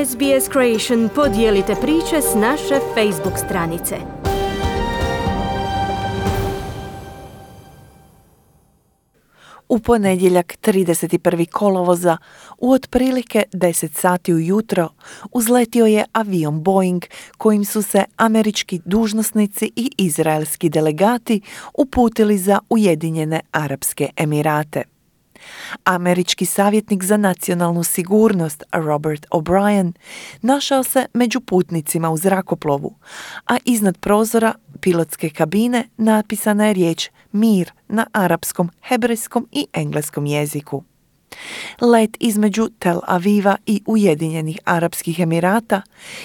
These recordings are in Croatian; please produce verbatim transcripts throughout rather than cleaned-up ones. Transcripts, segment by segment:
S B S Creation podijelite priče s naše Facebook stranice. U ponedjeljak trideset prvog kolovoza u otprilike deset sati ujutro uzletio je avion Boeing kojim su se američki dužnosnici i izraelski delegati uputili za Ujedinjene Arapske Emirate. Američki savjetnik za nacionalnu sigurnost Robert O'Brien našao se među putnicima u zrakoplovu, a iznad prozora pilotske kabine napisana je riječ mir na arapskom, hebrejskom i engleskom jeziku. Let između Tel Aviva i Ujedinjenih Arapskih Emirata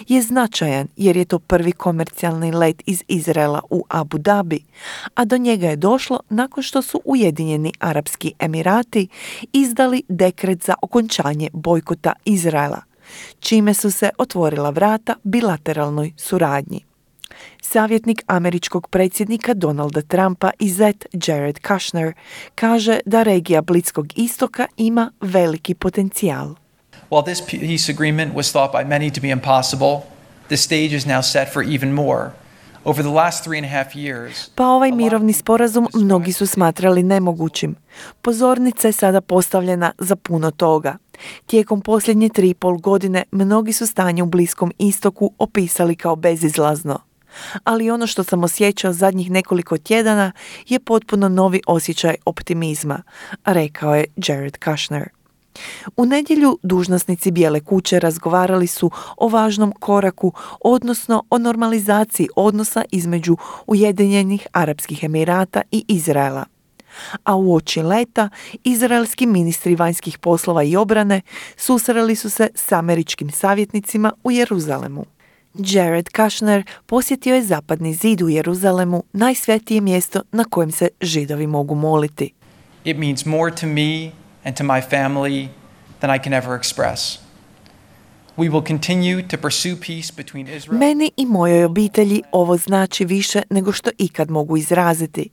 je značajan jer je to prvi komercijalni let iz Izraela u Abu Dhabi, a do njega je došlo nakon što su Ujedinjeni Arapski Emirati izdali dekret za okončanje bojkota Izraela, čime su se otvorila vrata bilateralnoj suradnji. Savjetnik američkog predsjednika Donalda Trumpa i zet Jared Kushner kaže da regija Bliskog istoka ima veliki potencijal. While this peace agreement was thought by many to be impossible, the stage is now set for even more. Over the last three and a half years, pa ovaj mirovni sporazum mnogi su smatrali nemogućim. Pozornica je sada postavljena za puno toga. Tijekom posljednje tri i pol godine mnogi su stanje u Bliskom istoku opisali kao bezizlazno. Ali ono što sam osjećao zadnjih nekoliko tjedana je potpuno novi osjećaj optimizma, rekao je Jared Kushner. U nedjelju dužnosnici Bijele kuće razgovarali su o važnom koraku, odnosno o normalizaciji odnosa između Ujedinjenih Arapskih Emirata i Izraela. A uoči leta izraelski ministri vanjskih poslova i obrane susreli su se s američkim savjetnicima u Jeruzalemu. Jared Kushner posjetio je Zapadni zid u Jeruzalemu, najsvetije mjesto na kojem se Židovi mogu moliti. It means more to me and to my family than I can ever express. We will continue to pursue peace between Israel. Meni i mojoj obitelji ovo znači više nego što ikad mogu izraziti.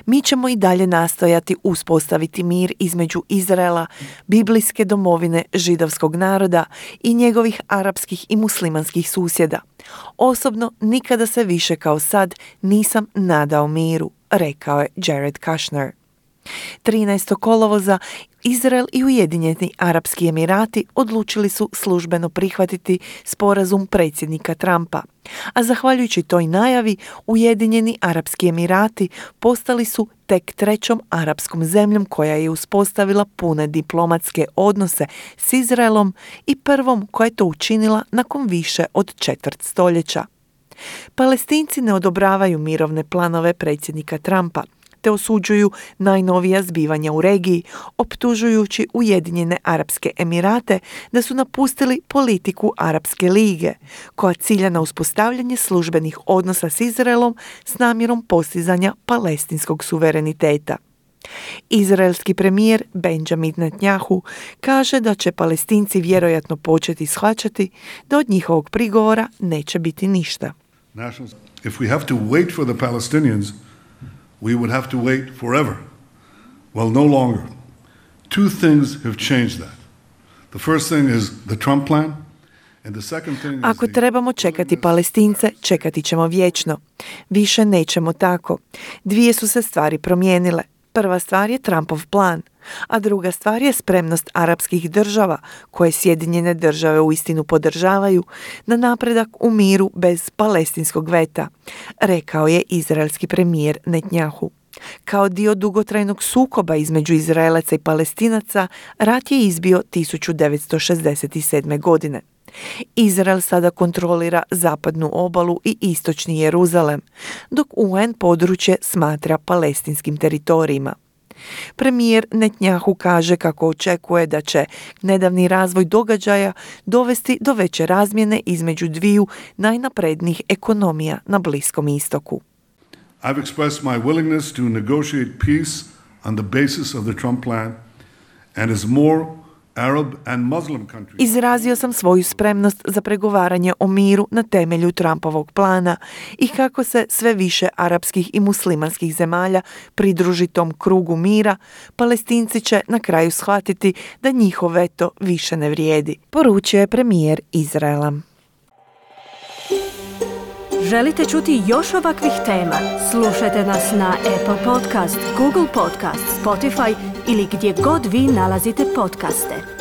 Mi ćemo i dalje nastojati uspostaviti mir između Izraela, biblijske domovine židovskog naroda i njegovih arapskih i muslimanskih susjeda. Osobno nikada se više kao sad nisam nadao miru, rekao je Jared Kushner. trinaestog kolovoza Izrael i Ujedinjeni Arapski Emirati odlučili su službeno prihvatiti sporazum predsjednika Trumpa, a zahvaljujući toj najavi Ujedinjeni Arapski Emirati postali su tek trećom arapskom zemljom koja je uspostavila pune diplomatske odnose s Izraelom i prvom koja je to učinila nakon više od četvrt stoljeća. Palestinci ne odobravaju mirovne planove predsjednika Trumpa, te osuđuju najnovija zbivanja u regiji, optužujući Ujedinjene Arapske Emirate da su napustili politiku Arapske lige, koja cilja na uspostavljanje službenih odnosa s Izraelom s namjerom postizanja palestinskog suvereniteta. Izraelski premijer Benjamin Netanyahu kaže da će Palestinci vjerojatno početi shvaćati da od njihovog prigovora neće biti ništa. If we have to wait for the Palestinians, we would have to wait forever. Well, no longer. Two things have changed that. The first thing is the Trump plan, and the second thing is Ako trebamo čekati Palestince, čekati ćemo vječno. Više nećemo tako. Dvije su se stvari promijenile. Prva stvar je Trumpov plan, a druga stvar je spremnost arapskih država, koje Sjedinjene države uistinu podržavaju, na napredak u miru bez palestinskog veta, rekao je izraelski premijer Netanyahu. Kao dio dugotrajnog sukoba između Izraelaca i Palestinaca, rat je izbio tisuću devetsto šezdeset sedme. godine. Izrael sada kontrolira zapadnu obalu i istočni Jeruzalem, dok U N područje smatra palestinskim teritorijima. Premijer Netanyahu kaže kako očekuje da će nedavni razvoj događaja dovesti do veće razmjene između dviju najnaprednijih ekonomija na Bliskom istoku. I've expressed my willingness to negotiate peace on the basis of the Trump plan and as more Arab and Muslim countries. Izrazio sam svoju spremnost za pregovaranje o miru na temelju Trumpovog plana i kako se sve više arapskih i muslimanskih zemalja pridruži tom krugu mira, Palestinci će na kraju shvatiti da njihov veto više ne vrijedi, poručio je premijer Izraela. Želite čuti još ovakvih tema? Slušajte nas na Apple Podcast, Google Podcast, Spotify ili gdje god vi nalazite podcaste.